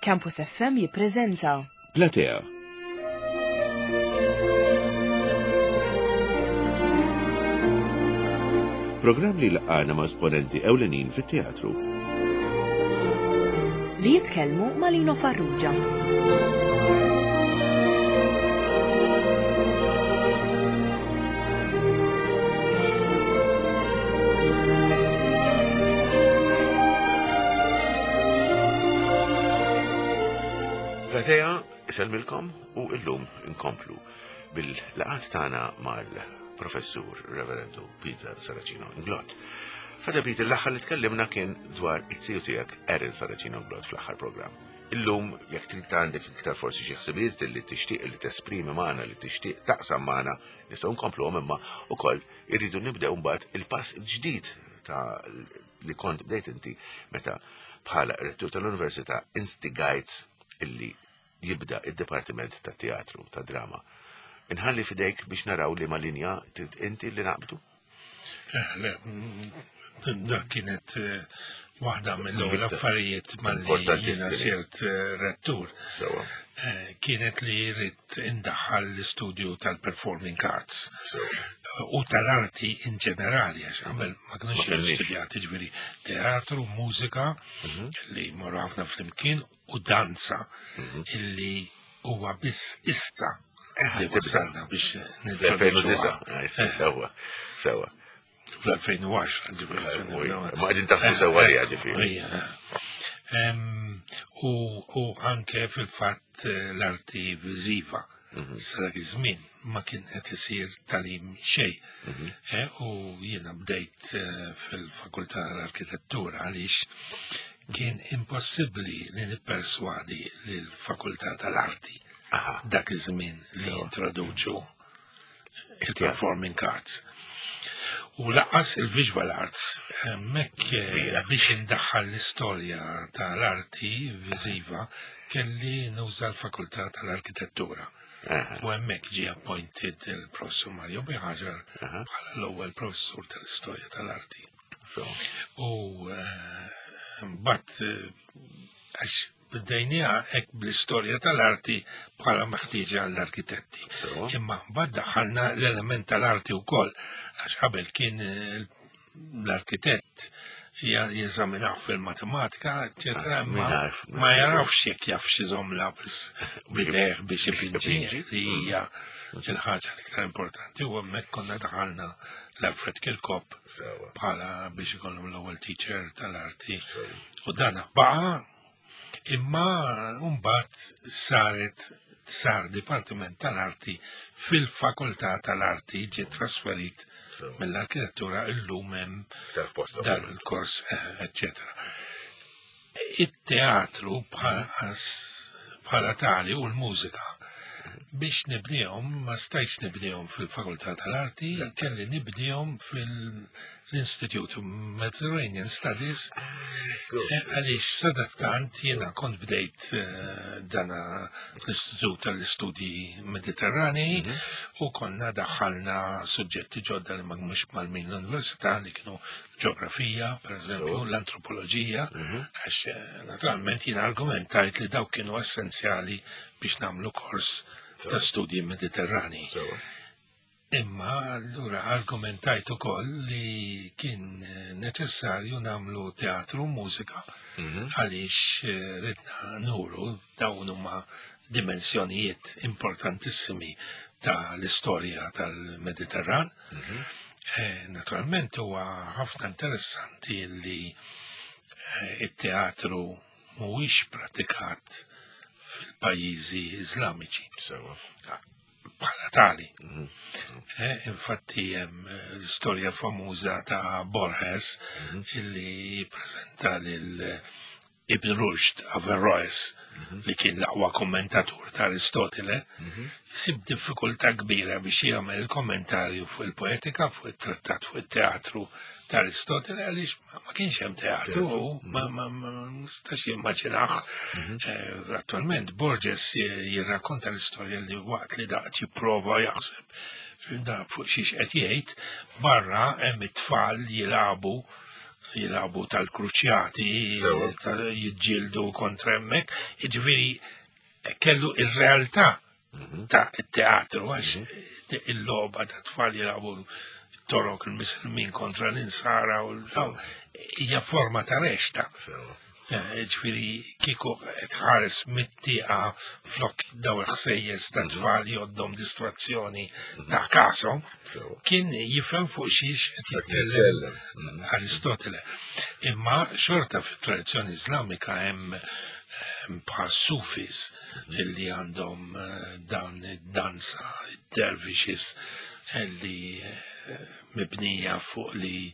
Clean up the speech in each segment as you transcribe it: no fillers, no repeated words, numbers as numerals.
Campus FM jippreżenta Platea. Programm li laqgħana ma' esponenti ewlenin fit-teatru. Li jitkellmu ma' Lino Farrugia. Platea isellmilkom u illum inkomplu bil-laqat tagħna mal-Professur Reverendu Peter Saracino Inglot. Fada Peter l-aħħar li tkellimna kien dwar it-tiju tiegħek Erin Saracino Inglot fl-aħħar programm. Illum jekk trid għandek iktar forsi xi ħsibijiet li tixtieq li tesprimi magħna li tixtieq taqsam magħna nistgħu nkompluhom imma ukoll irridu nibdew mbagħad il-pass ġdid ta' li kont bdejt inti meta bħala rettur tal-Università instigajt illi jibda id-Dipartiment ta' Teatru ta' Drama. Inħalli fidejk biex naraw li ma linja inti li naqbdu? Eh, le, mm, dak kienet eh, waħda mill-ewwel affarijiet malli jiena sirt eh, rettur. Kienet li rrid indaħħal l-istudju tal-performing arts u tal-arti in ġenerali, għax qabel ma kienux studjati ġifieri teatru, mużika, mhm. li morru ħafna flimkien u danza mhm. illi huwa biss issa eh, li wasalna biex nintroduċuha. Eh, sewa, sewa. Fl-2010, ġifieri. Eh, ma qegħdin taħdu sewa li ġifieri. U anke fil-fatt l-arti viżiva. Mhm. Sa dak iż-żmien ma kien qed isir talim xejn. Mhm. U jiena bdejt fil-Fakultà tal-Arkitettura għaliex Kien impossibbli li nipperswadi lill-Fakultà tal-Arti dak iż-żmien li jintroduċu il-Performing Arts. U laqas il-Visual Arts, hemmhekk eh, biex indaħħal l-istorja tal-arti viżiva kelli nuża l-Fakultà tal-Arkitettura. U hemmhekk ġie appointed il-Professur Mario Biħaġar bħala l-ewwel professur tal-istorja tal-arti. U eh, mbagħad eh, għax bdejniha hekk bl-istorja tal-arti bħala meħtieġa għall-arkitetti. Imma mbagħad daħħalna l-element tal-arti wkoll għax qabel kien eh, l-arkitett jeżaminaw fil-matematika, eccetera, ah, ma ma jarafx jekk jaf xi żomm lapis bidejh biex ipinġi li hija il-ħaġa l-iktar importanti u hemmhekk konna daħalna l-Alfred Kirkop bħala biex ikollhom l-ewwel teacher tal-arti. U dan baqa' imma mbagħad saret sar Dipartiment tal-Arti fil-Fakultà tal-Arti ġie trasferit mill-arkitettura illum hemm dan il-kors, eccetera. It-teatru bħala tali u l-mużika biex nibnihom ma stajtx nibnihom fil-Fakultà tal-Arti, kelli nibnihom fil-Institute of Mediterranean Studies eh, għaliex sadattant jiena kont bdejt eh, dana l-Istitut tal-Istudji Mediterranei mhm. u konna daħħalna suġġetti ġodda li ma mhux mal-min l-Università li kienu ġeografija, per eżempju, l-antropoloġija, mhm. għax eh, naturalment jien argumentajt li dawk kienu essenzjali biex namlu kors ta' studji mediterrani. Imma allura argumentajt ukoll li kien eh, neċessarju namlu teatru u mużika mhm. għaliex eh, ridna nuru dawn huma dimensjonijiet importantissimi ta' l-istorja tal-Mediterran. Mhm. Eh, naturalment huwa ħafna interessanti li eh, it-teatru mhuwiex pratikat fil-pajjiżi Iżlamiċi. Bħala tali. Mhm. Eh, infatti hemm l-istorja famuża ta' Borges mhm. illi jippreżenta lil Ibn Rushd, Averroes, mhm. li kien l-aqwa kommentatur ta' Aristotele, mhm. jsib diffikultà kbira biex jagħmel il-kommentarju fuq il-poetika, fuq it-trattat fuq it-teatru ta' Aristotele għaliex ma kienx hemm teatru u ma nistax jimmaġinah. Mhm. Eh, attualment Borges jirrakkonta l-istorja li waqt li daqt jipprova jaħseb da fuq xiex qed jgħid, barra hemm it-tfal jilagħbu. jilagħbu tal-kruċjati, jiġġieldu kontra hemmhekk, jiġifieri kellu ir-realtà mhm. ta' teatru għax mhm. il-logħba ta' tfal jilagħbu torok il-misilmin kontra l-insara u l-daw hija forma ta' rexta. Eh, ġifieri kieku tħares mit-tieqa flok daw il-ħsejjes ta' mhm. tfal joddhom distrazzjoni mhm. ta' kasom, kien jifhem fuq xiex qed jitkellem mhm. Aristotele. Imma xorta fit-tradizzjoni Iżlamika hemm bħal sufis illi għandhom eh, dan id-danza, id-dervishes illi eh, mibnija fuq li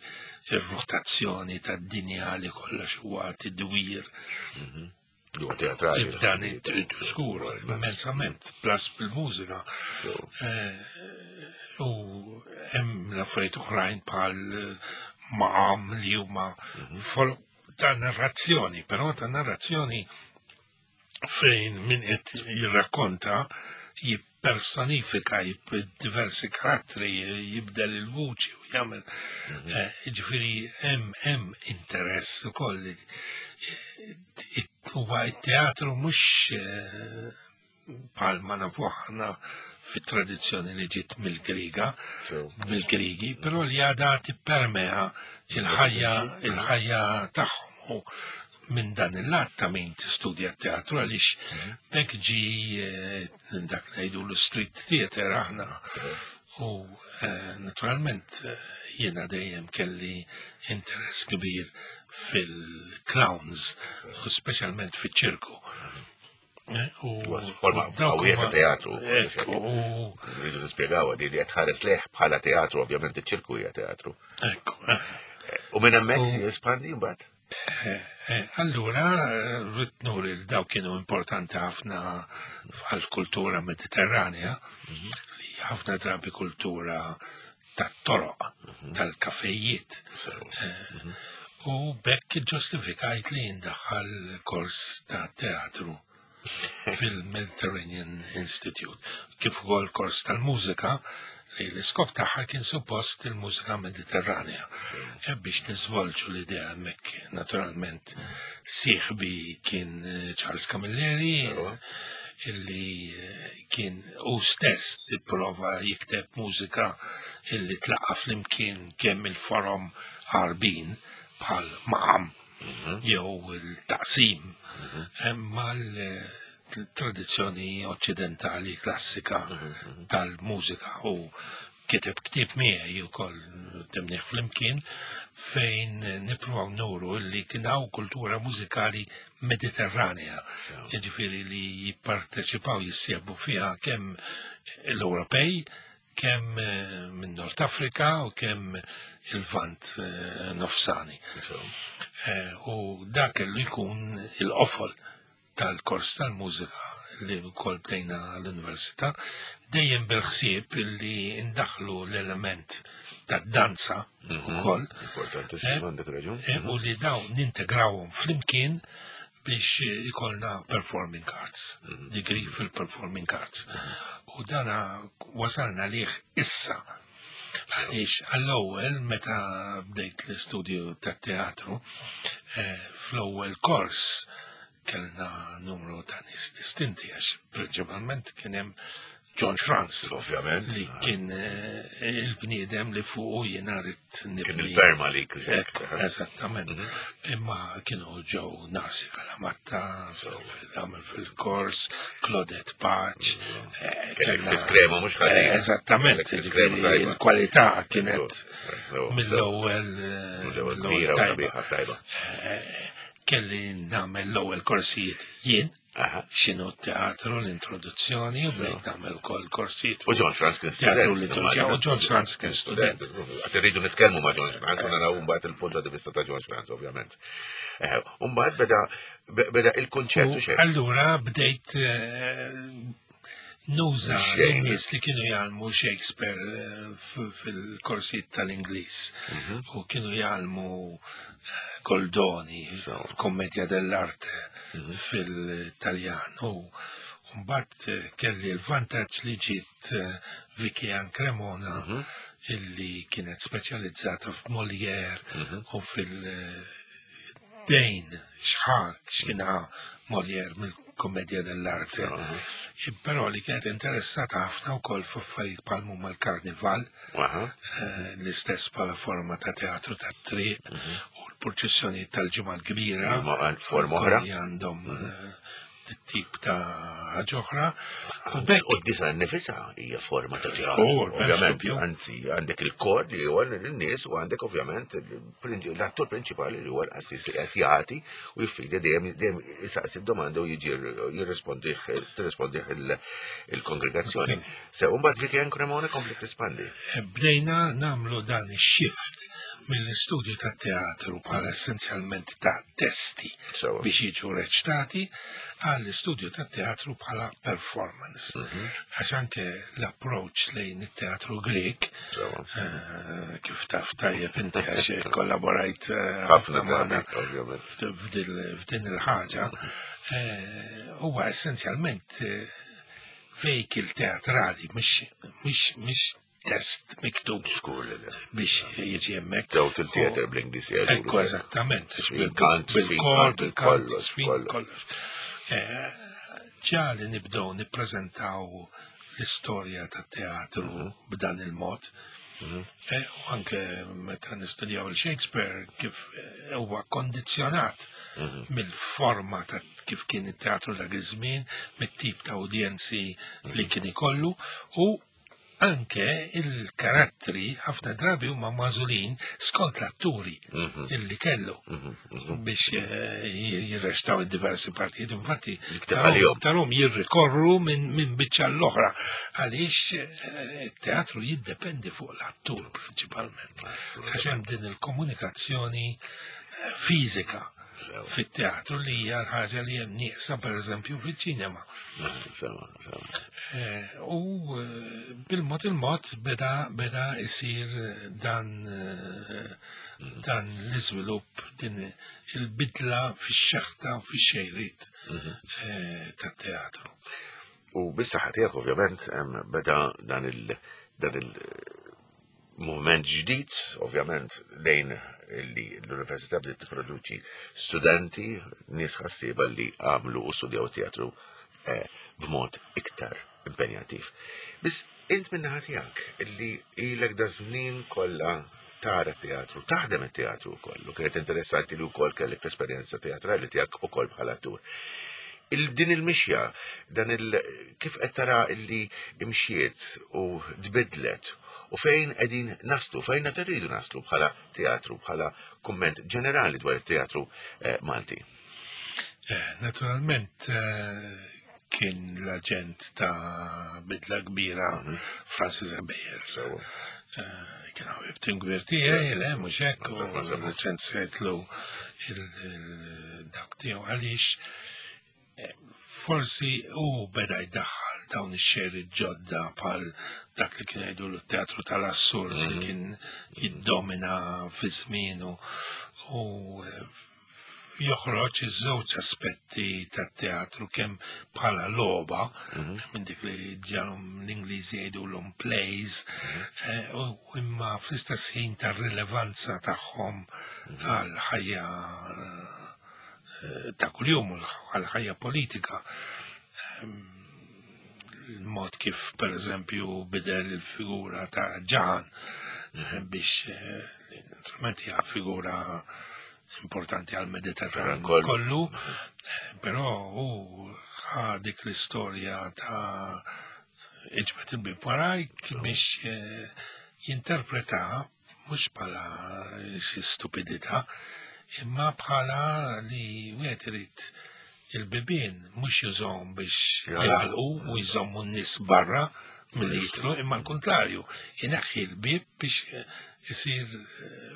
ir-rotazzjoni tad-dinja li kollox huwa tidwir. Mhm. Huwa teatrali. Dan skur, immensament, plus bil-mużika. Eh, u hemm l-affarijiet oħrajn bħal maqam li huma mhm. ta' narrazzjoni, però ta' narrazzjoni fejn min qed jirrakkonta jippersonifika diversi karattri, jibdel il-vuċi u jagħmel. Mhm. Eh, ġifieri hemm hemm interess ukoll. Eh, huwa t-teatru mhux eh, bħal ma nafu aħna fit-tradizzjoni li ġiet mill-Griga, mill-Grigi, però li għadha tippermea il-ħajja il-ħajja tagħhom minn dan il-lat ta' min tistudja t-teatru għaliex mhm. hekk ġi eh, dak ngħidu l-street theater aħna u eh, naturalment eh, jiena dejjem kelli interess kbir fil-clowns u speċjalment fiċ-ċirku. Mhm. U forma qawwija ta' teatru. Rridu nispjegaw di li qed tħares leħ bħala teatru, ovvjament iċ-ċirku hija teatru. Ekku. U minn hemmhekk jespandi mbagħad? Eh, eh, allura, rrid nuri li daw kienu importanti ħafna għal-kultura mediterranja, mhm. li ħafna drabi kultura tat-toroq, mhm. tal-kafejiet. Eh, mhm. U bekk ġustifikajt li jindaħħal kors ta' teatru fil-Mediterranean Institute, kif ukoll kors tal-mużika li l-iskop tagħha kien suppost il-mużika Mediterranja. E biex niżvolġu l-idea hemmhekk naturalment sieħbi kien eh, Charles Camilleri illi eh, kien u stess ipprova jikteb mużika illi tlaqqa flimkien kemm il-forom għarbin bħal maqam mhm. jew il-taqsim mhm. mal-tradizzjoni oċċidentali klassika mhm, tal-mużika u kiteb ktieb miegħi wkoll temnieh flimkien fejn nippruvaw nuru li kien hawn kultura mużikali Mediterranea, jiġifieri li jipparteċipaw jissieħbu fiha kemm l-Ewropej, kemm eh, minn Nord Afrika u kemm il-Vant eh, nofsani. Eh, u dak kellu jkun il-qofol tal-kors tal-mużika li wkoll bdejna l-università, dejjem bil-ħsieb li ndaħlu l-element tad-danza mhm. ukoll. U li daw nintegrawhom flimkien biex ikollna performing arts, mhm. degree fil-performing arts. Mhm. U dana wasalna liħ issa. Għaliex għall-ewwel meta bdejt l-istudju tat-teatru, eh, fl-ewwel kors kellna numru ta' nies distinti għax prinċipalment kien hemm John Schranz. Ovvjament. Li kien eh, il-bniedem li fuqu jiena rrid nibni. Kien il-perma li Eżattament. Mhm. Imma kienu ġew Narsi Kalamatta, għamel fil-kors, Claudette Paċ. Mhm. Eh, kien ftit krema mhux ħażin. Eh, eżattament, il-kwalità kienet mill-ewwel. Mill-ewwel tajba. Kelli nagħmel l-ewwel korsijiet jien x'inhu t-teatru, l-introduzzjoni, u bdejt nagħmel ukoll korsijiet. U John Franz kien student. Teatru liturġija, u John Franz kien student. Għad irridu nitkellmu ma' John Franz, u naraw mbagħad il-punt di vista ta' John Franz, ovvjament. Eh, u mbagħad beda beda il-konċert u xejn. Allura bdejt eh, nuża l-nies li kienu jgħallmu Shakespeare eh, fil-korsijiet tal-Ingliż mhm. u kienu jgħallmu eh, Goldoni, Commedia dell'Arte mhm. fil-Taljan u mbagħad eh, kelli l-vantaġġ li ġiet Vicky Ann Cremona illi kienet speċjalizzata f'Molière u fil-dejn xħar x'kien Molière mill-Commedia dell'Arte. Però li kienet interessata ħafna wkoll f'affarijiet bħal huma l-karnival, l-istess bħala forma ta' teatru tat-triq u l-purċissjoni tal-Ġimgħa l-Kbira. Forma oħra. Li għandhom tip ta' ħaġa oħra. U bekk U d-disa nifisa hija forma ta' teatru. Żgur, Ovvjament, dubju. anzi, għandek il-kor li huwa n-nies u għandek ovvjament l-attur prinċipali li huwa l-qassis li qed jagħti u jiffida dejjem dejjem isaqsi d-domanda u jiġi jirrispondih tirrispondih il-kongregazzjoni. Se mbagħad Vicky Ann Cremona kompli tispandi. Bdejna namlu dan ix-shift mill-istudju ta' teatru bħala essenzjalment ta' testi Sewa. biex jiġu reċtati għall-istudju ta' teatru bħala performance. Għax anke l-approach lejn it-teatru Grek, Sewa. kif taf tajjeb inti għax kollaborajt Ħafna magħna drabi, ovvjament. f'din il-ħaġa, huwa essenzjalment vehicle teatrali, mhux test miktub Żgur li le. biex jiġi hemmhekk. Daw til-theater bl-Ingliż jgħidu. Ekku, eżattament. Bil-kant, bil-kor, bil-kant, kollox, sfin, kollox. kollox. Ġa li nibdew nippreżentaw l-istorja tat-teatru b'dan il-mod. U anke meta nistudjaw il-Shakespeare kif huwa kondizzjonat mill-forma ta' kif kien it-teatru dak iż-żmien, mit-tip ta' udjenzi li kien ikollu u anke il-karattri ħafna drabi huma magħżulin skont l-atturi illi kellu biex jirrextaw id-diversi partijiet. Infatti, Jikteb għalihom. tarom jirrikorru minn biċċa l-oħra għaliex it-teatru jiddependi fuq l-attur prinċipalment. Għax hemm din il-komunikazzjoni fiżika fit-teatru li hija l-ħaġa li hemm nieqsa pereżempju fiċ-ċinema. Sewa, sewa. U bil-mod il-mod beda isir dan l-iżvilupp, din il-bidla fix-xeħta u fix-xejriet tat-teatru. U bis-saħħa tiegħek ovvjament beda dan il dan il movement ġdid, ovvjament lejn li l-Università bdiet tipproduċi studenti, nies ħassieba li għamlu u studjaw teatru b'mod iktar impenjattiv. Biss int min-naħa tiegħek illi ilek da żmien kollha tara teatru, taħdem it-teatru wkoll, u kienet interessanti li wkoll kellek l-esperjenza teatrali tiegħek ukoll bħala attur. Din il-mixja, dan il kif qed tara illi imxiet u tbidlet u fejn qegħdin naslu, fejn qed irridu naslu bħala teatru, bħala kumment ġenerali dwar it-teatru Malti. Naturalment kien l-aġent ta' bidla kbira Francis Ebejer. Sewa. Kien ħabib tim kbir tiegħi, le, mhux hekk, u Sewa, sewa. reċensejtlu il-dak tiegħu għaliex forsi u beda jdaħħal dawn ix-xejriet ġodda bħal dak li kien jgħidu l-teatru tal-assurd li kien jiddomina fi żmienu u joħroġ iż-żewġ aspetti tat-teatru kemm bħala logħba minn dik li ġalhom l-Ingliżi jgħidulhom plays, u imma fl-istess ħin tar-rilevanza tagħhom għal ħajja ta' kuljum u għal ħajja politika. Il-mod kif per eżempju bidel il-figura ta' Ġaħan biex naturalment hija figura importanti għal Mediterran Kollu. kollu, però hu ħa dik l-istorja ta' iġbed il-bib warajk biex jinterpreta mhux bħala xi stupidità, imma bħala li wieħed irid il-bibien mhux jużhom biex jagħlqu u jżommu n-nies barra milli jidħlu, imma l-kontrarju, ineħħi l-bib biex isir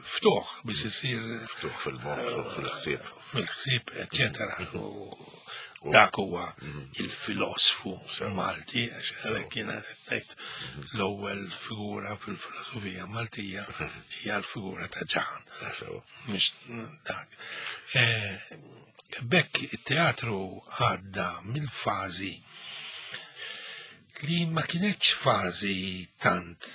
ftuħ, biex isir ftuħ fil-moħħ, ftuħ fil-ħsieb. Fil-ħsieb, eċċetera. U dak huwa il-filosfu Malti, għax għalhekk jiena qed ngħid l-ewwel figura fil-filosofija Maltija hija l-figura ta' Ġaħan. Sewa. Mhux dak. Bekk it-teatru għadda mill-fażi Li ma kienetx fażi tant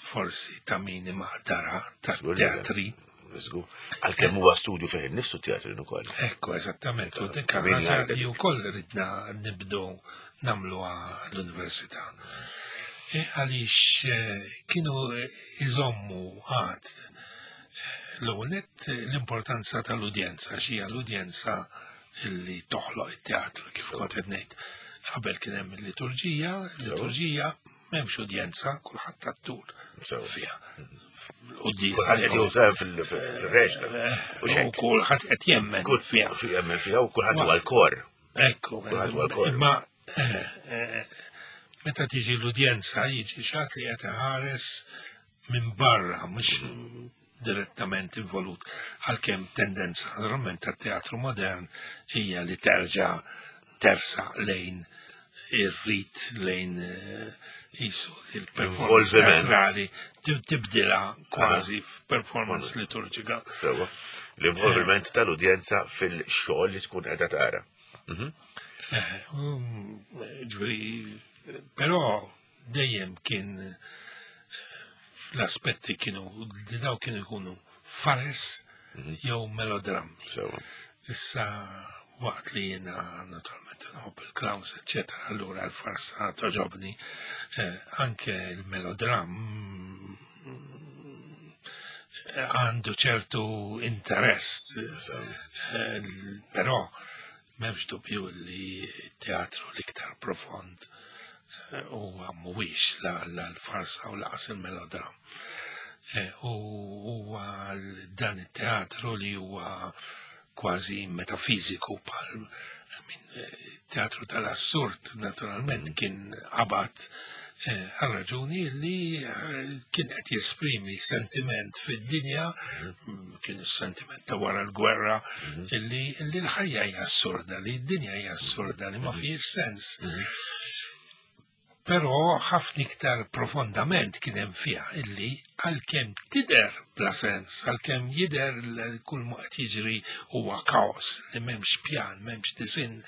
forsi ta' min imaqdara ta' teatri. Żgur. Għalkemm huwa studju fejn innifsu teatrin ukoll. Ekku, eżattament, u dik ħaġa li wkoll ridna nibdu nagħmluha l-università. E, għaliex eh, kienu iżommu għad eh, l-ewwel l-importanza tal-udjenza, xi l-udjenza illi toħloq it-teatru kif kont qed ngħid. Qabel kien hemm il-liturġija, il-liturġija m'hemmx udjenza, kulħadd attur fiha. Kulħadd qed juża fil-reġna. Eh, u kulħadd qed jemmen fiha. Jemmen fiha u kulħadd huwa l-kor. Ekku, imma eh, eh, meta tiġi l-udjenza jiġi xatt li qed iħares minn barra, mhux direttament involut, għalkemm tendenza naturalment tat-teatru modern hija li terġa' tersa lejn ir-rit lejn eh, jisu il-performance teatrali tibdilha kważi f'performance liturġika. Sewa, l-involviment eh. tal-udjenza fil-xogħol li tkun qiegħda tara. Mhm. Eh, um, ġifieri, però dejjem kien l-aspetti kienu li daw kienu jkunu fares mhm. jew melodrammi. Issa waqt li jiena naturalment nħobb il-clowns, eccetera, allura l-farsa toġobni, eh, anke il-melodram eh, għandu ċertu interess, eh, però M'hemmx dubju li t-teatru l-iktar profond eh, huwa mhuwiex la l-farsa u laqas il-melodram. Eh, u huwa dan it-teatru li huwa kważi metafiżiku bħal eh, teatru tal-assurd naturalment mm. kien qabad Eh, għal raġuni li eh, kien qed jesprimi sentiment fid-dinja, mm, kien sentiment ta' wara l-gwerra, mhm. illi l-ħajja hija assurda, li d-dinja hija assurda, li ma mhm. fihiex sens. Mhm. Però ħafna iktar profondament kien hemm fiha illi għalkemm tidher bla sens, għalkemm jidher kull ma qed jiġri huwa kaos li m'hemmx pjan, m'hemmx disinn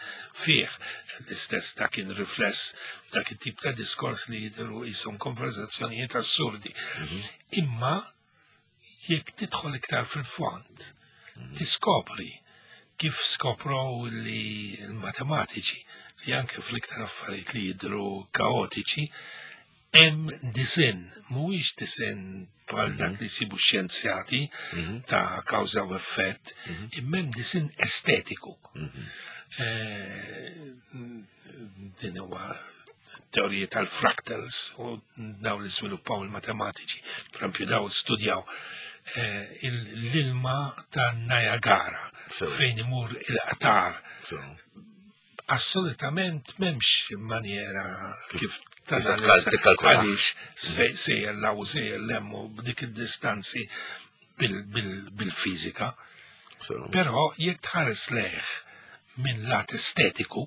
fih. L-istess ta' kien rifless dak it-tip ta' diskors li jidhru qishom konversazzjonijiet assurdi. Mhm. Imma jekk tidħol iktar fil-fond, mhm. tiskopri kif skoprow li l-matematiċi li anke fl-iktar affarijiet li jidhru kaotiċi, Hemm disinn, mhuwiex disinn bħal dak mhm. li jsibu xjenzjati mhm. ta' kawża u effett, mhm. imma hemm disinn estetiku. Eh, din huwa teoriji tal-fractals u daw li żviluppaw il-matematiċi, per daw studjaw eh, l-ilma ta' Niagara fejn imur il-qtar Assolutament m'hemmx maniera kif tanalizza għaliex sejjer law sejjer lemmu b'dik id-distanzi bil-fiżika. Però jekk tħares leħ minn lat estetiku,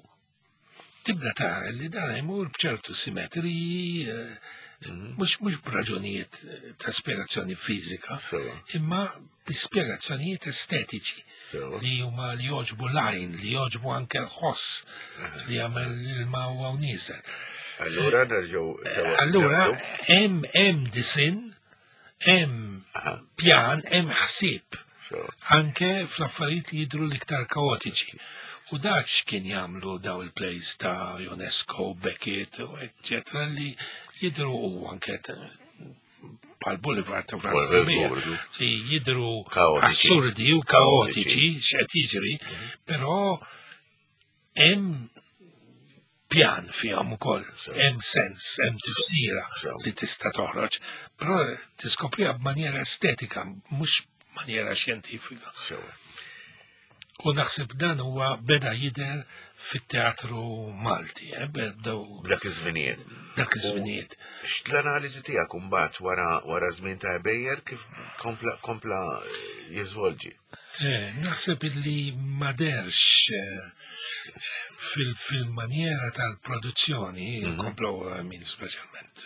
tibda tara li dan jmur b'ċertu simetriji, eh, mhm. mhux mhux b'raġunijiet ta' spjegazzjoni fiżika, imma bi spjegazzjonijiet estetiċi li huma li jogħġbu l-għajn, li jogħġbu anke l-ħoss li jagħmel l-ilma huwa nieżel. Allura nerġgħu sewa. Allura hemm hemm disinn, hemm pjan, hemm ħsieb. Anke fl-affarijiet li jidhru l-iktar kaotiċi. U dak x'kien jagħmlu daw il-plays ta' Ionesco, Beckett, eccetera, li jidhru u anke bħal Boulevard ta' Franz li jidru assurdi u kaotiċi x'qed jiġri, mhm. però hemm pjan fihom ukoll, hemm sens, hemm tifsira li tista' toħroġ, però tiskopriha b'manjera estetika, mhux maniera xjentifika. U naħseb dan huwa beda jidher fit-teatru Malti, eh, bdew. Dak iż-żminijiet. Dak iż-żminijiet. X'l-analiżi tiegħek imbagħad wara wara żmien ta' Ebejer kif kompla kompla jiżvolġi? Eh, naħseb illi ma derx eh, fil-maniera tal-produzzjoni, mhm. komplow min speċjalment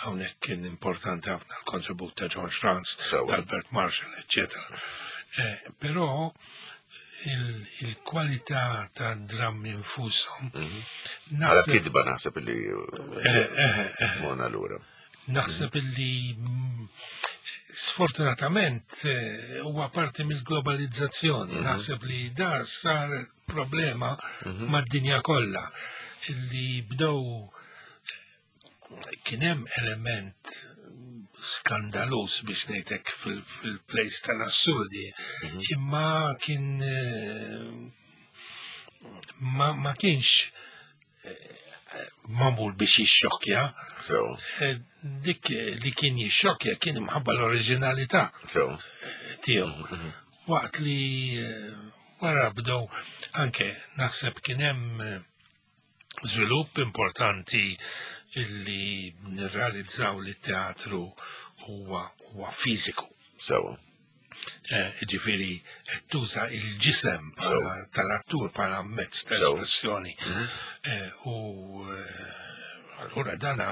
hawnhekk kien importanti ħafna l-kontribut ta' John Schranz, ta' Albert Marshall, eccetera. Eh, però Il-kwalità ta' drammi infushom. Għala kitba naħseb li eh, eh, eh. mona lura. Naħseb illi sfortunatament huwa parti mill-globalizzazzjoni. Naħseb li da sar problema mad-dinja kollha illi bdew kien hemm element skandaluż biex ngħidlek fil-plays tal-assurdi, imma kien ma, ma kienx magħmul biex jixxokkja. Dik li kien jixxokkja kien imħabba l-oriġinalità tiegħu. Waqt li wara bdew anke naħseb kien hemm żvilupp importanti illi nirrealizzaw li t-teatru huwa huwa fiżiku. Sewa. Ġifieri qed tuża il-ġisem tal-attur bħala mezz ta' espressjoni. U allura dana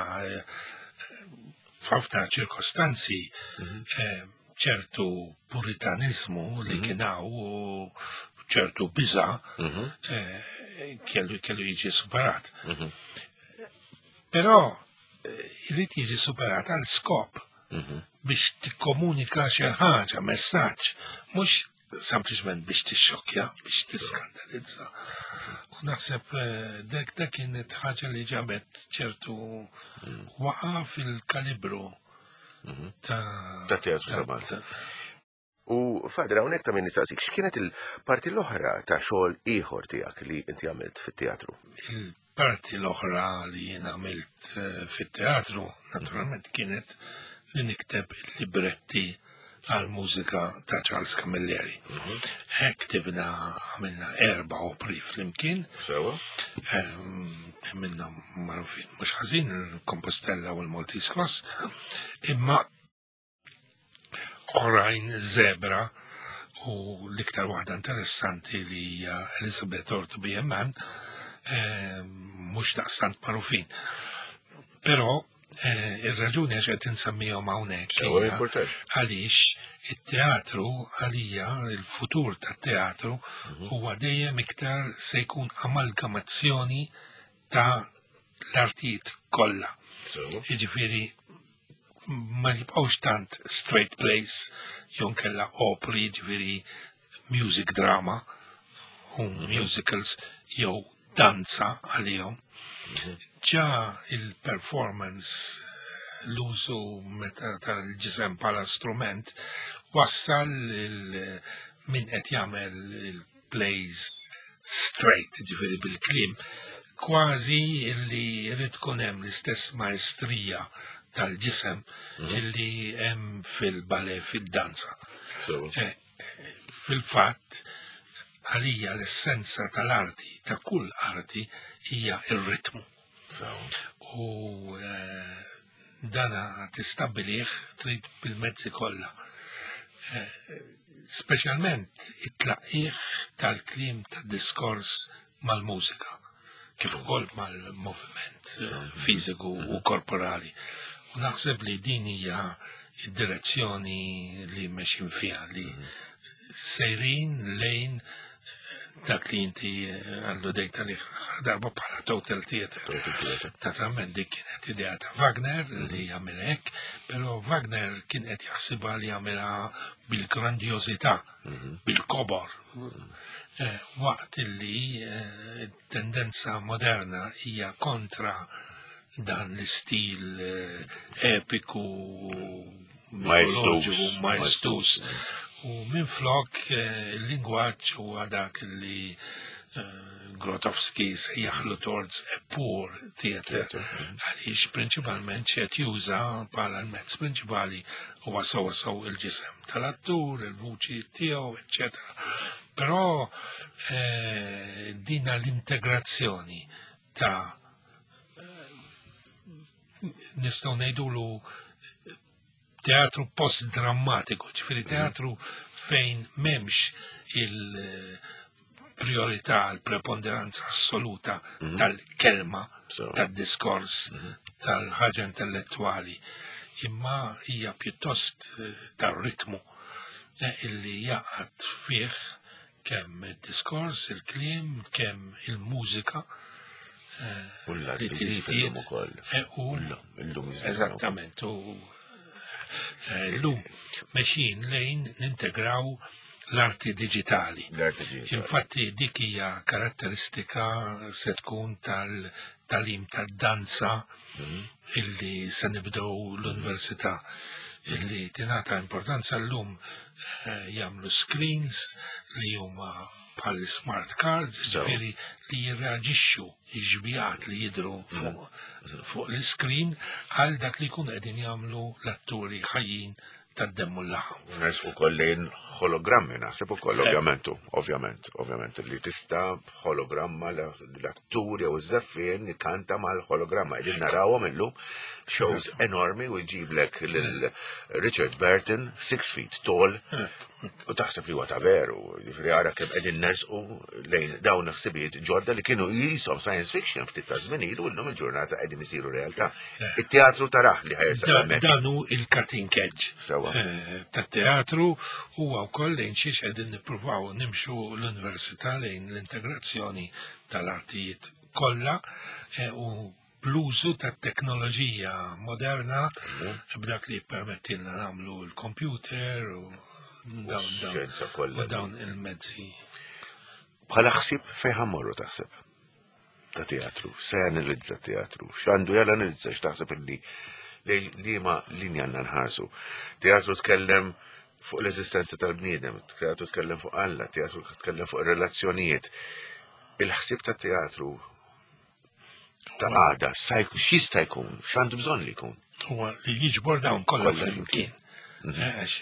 f'ħafna ċirkostanzi ċertu puritanizmu li kien hawn u ċertu biża kellu kellu jiġi superat. Però irid jiġi superat għal skop biex tikkomunika xi ħaġa, messaġġ, mhux sempliċement biex tixxokkja, biex tiskandalizza. U naħseb dak dak kienet ħaġa li ġabet ċertu waqa fil-kalibru ta' Ta' teatru ta' Malta. U Father, hawnhekk ta' min nistaqsik, x'kienet il-parti l-oħra ta' xogħol ieħor tiegħek li inti għamilt fit-teatru? Il-parti l-oħra li jien għamilt fit-teatru, naturalment, kienet li nikteb libretti għal mużika ta' Charles Camilleri. Hekk ktibna, għamilna 4 opri flimkien. Sewa. Minnhom magħrufin mhux ħażin, il-Compostella u l-Maltese Cross, imma oħrajn Zebra u l-iktar waħda interessanti li hija Elizabeth or to be a Man, mhux daqstant magħrufin. Però ir-raġuni għax qed insemmihom hawnhekk Sewa, hija importanti. għaliex it-teatru għalija, il-futur tat-teatru huwa dejjem iktar se jkun amalgamazzjoni ta' l-artijiet kollha. Sewa. Jiġifieri ma jibqgħux tant straight plays jew nkella opri, jiġifieri music drama u musicals jew danza għalihom. Ġa il-performance, l-użu meta tal-ġisem bħala strument, wassal min qed jagħmel il-plays straight, ġifieri bil-kliem, kważi li jrid tkun hemm l-istess maestrija tal-ġisem illi hemm fil-ballet, fid-danza. Fil-fatt, għalija l-essenza tal-arti, ta' kull arti, hija ir-ritmu. U dana tistabbilih trid bil-mezzi kollha. Speċjalment it-tlaqqih tal-kliem tad-diskors mal-mużika, kif ukoll mal-moviment fiżiku u korporali. U naħseb li din hija id-direzzjoni li mexin fiha, li sejrin lejn dak li inti alludejt għalih l-aħħar darba bħala total theater. Total theater. Naturalment dik kienet idea ta' Wagner li jagħmel hekk, però Wagner kien qed jaħsibha li jagħmilha bil-grandjożità, bil-kobor. Waqt illi tendenza moderna hija kontra dan l-istil epiku, Maestus. mitoloġiku, maestus. U minn flok il-lingwaġġ huwa dak li Grotowski sejjaħlu towards a poor theater, Theater. għaliex prinċipalment x'qed juża bħala l-mezz prinċipali huwa sewwa sew il-ġisem tal-attur, il-vuċi tiegħu, eċċetera. Però dina l-integrazzjoni ta' nistgħu ngħidulu teatru post-drammatiku, ġifieri teatru fejn m'hemmx il-priorità, l-preponderanza assoluta tal-kelma, tad-diskors, tal-ħaġa intellettuali, imma hija pjuttost tar-ritmu illi jaqgħad fih Kemm id-diskors, il-kliem, kemm il-mużika. U l-art tiżdied ukoll. U eżattament, u llum mexjin lejn nintegraw l-arti digitali. Infatti dik hija karatteristika se tkun tal-talim tad-danza illi se nibdew l-università illi tingħata importanza llum jagħmlu screens li huma bħal smart cards, ġifieri li jirreaġixxu x-xbijat li jidhru fuq l-screen għal dak li jkunu qegħdin jagħmlu l-atturi ħajjin tad-demm u l-laħam. Nersqu wkoll lejn hologrammi naħseb ukoll ovvjament, ovvjament, ovvjament li tista' b'hologramma l-attur jew iż-żeffien ikanta mal-hologramma. Qegħdin narawhom illum shows enormi u jġiblek lil Richard Burton, 6 feet tall, u taħseb li huwa ta' veru, jiġifieri ara kemm qegħdin nersqu lejn dawn il-ħsibijiet ġodda li kienu jisom science fiction ftit ta' żmien ilu llum il-ġurnata qegħdin isiru realtà. It-teatru taraħ li ħajersa hemmhekk. Dan hu il-cutting edge tat-teatru huwa wkoll lejn xiex qegħdin nippruvaw nimxu l-università lejn l-integrazzjoni tal-artijiet kollha u bl-użu tat-teknoloġija moderna b'dak li jippermettilna nagħmlu l-computer u dawn il-mezzi. Bħala ħsieb fejn ħammorru taħseb ta' teatru, se janalizza teatru, x'għandu janalizza x'taħseb illi li ma linja għandna nħarsu. Teatru tkellem fuq l-eżistenza tal-bniedem, teatru tkellem fuq Alla, teatru tkellem fuq ir-relazzjonijiet. Il-ħsieb ta' teatru ta' għada, x'jista' jkun, x'għandu bżonn li jkun. Huwa li jiġbor dawn kollha flimkien. Għax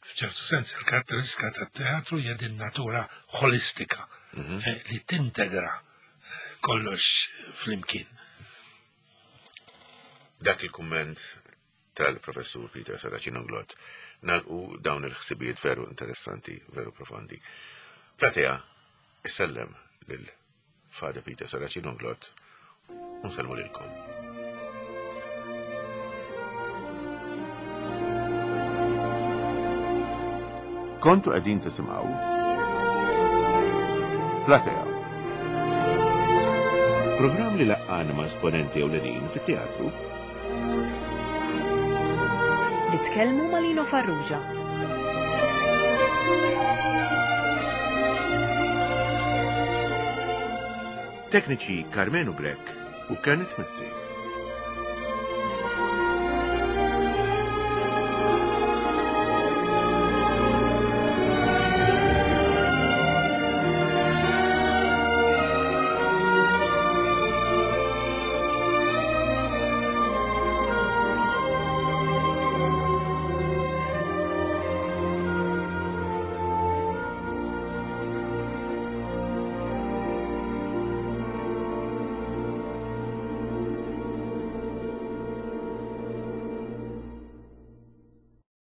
f'ċertu sens il-karatteristika tat-teatru hija din natura ħolistika li tintegra kollox flimkien. Dak il-kumment tal-professur Peter Saracino Glott nalqu dawn il-ħsibijiet veru interessanti, veru profondi. Platea, issellem lil Father Peter Saracino Glott u nsellmu lilkom. Kontu qegħdin tisimgħu Platea. Programm li laqqana ma' esponenti ewlenin fit-teatru. Li tkellmu ma' Lino Farrugia. Tekniċi Karmenu Grech u Kenneth Mizzi.